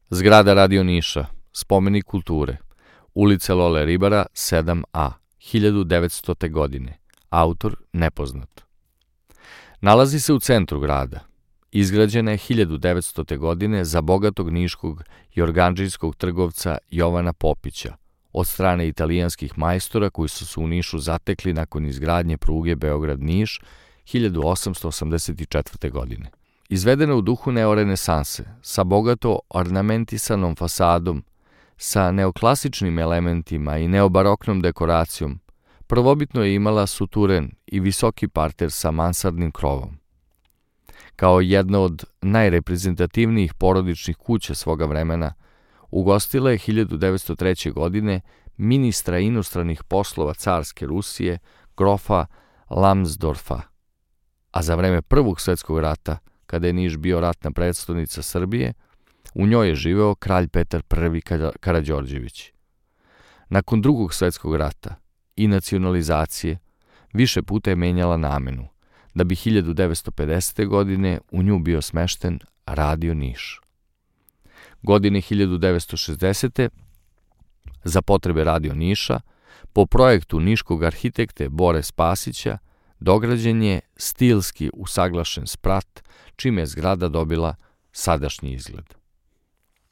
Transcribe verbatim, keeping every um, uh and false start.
Zgrada Radio Niša, spomenik kulture, ulica Lole Ribara sedam a, hiljadu devetstote. godine, autor nepoznat. Nalazi se u centru grada. Izgrađena je hiljadu devetstote. godine za bogatog niškog jorgandžijskog trgovca Jovana Popića od strane italijanskih majstora koji su se u Nišu zatekli nakon izgradnje pruge Beograd-Niš hiljadu osamsto osamdeset četvrte. godine. Izvedena u duhu neorenesanse, sa bogato ornamentisanom fasadom, sa neoklasičnim elementima i neobaroknom dekoracijom, prvobitno je imala suturen i visoki parter sa mansardnim krovom. Kao jedna od najreprezentativnijih porodičnih kuća svoga vremena, ugostila je hiljadu devetsto treće. godine ministra inostranih poslova carske Rusije, grofa Lamsdorfa, a za vreme Prvog svetskog rata, kada je Niš bio ratna predstavnica Srbije, u njoj je živeo kralj Petar prvi. Karađorđević. Nakon Drugog svetskog rata i nacionalizacije više puta je menjala namenu, da bi hiljadu devetsto pedesete. godine u nju bio smešten Radio Niš. Godine hiljadu devetsto šezdesete. za potrebe Radio Niša, po projektu niškog arhitekte Bore Spasića, dograđen je stilski usaglašen sprat, čime je zgrada dobila sadašnji izgled.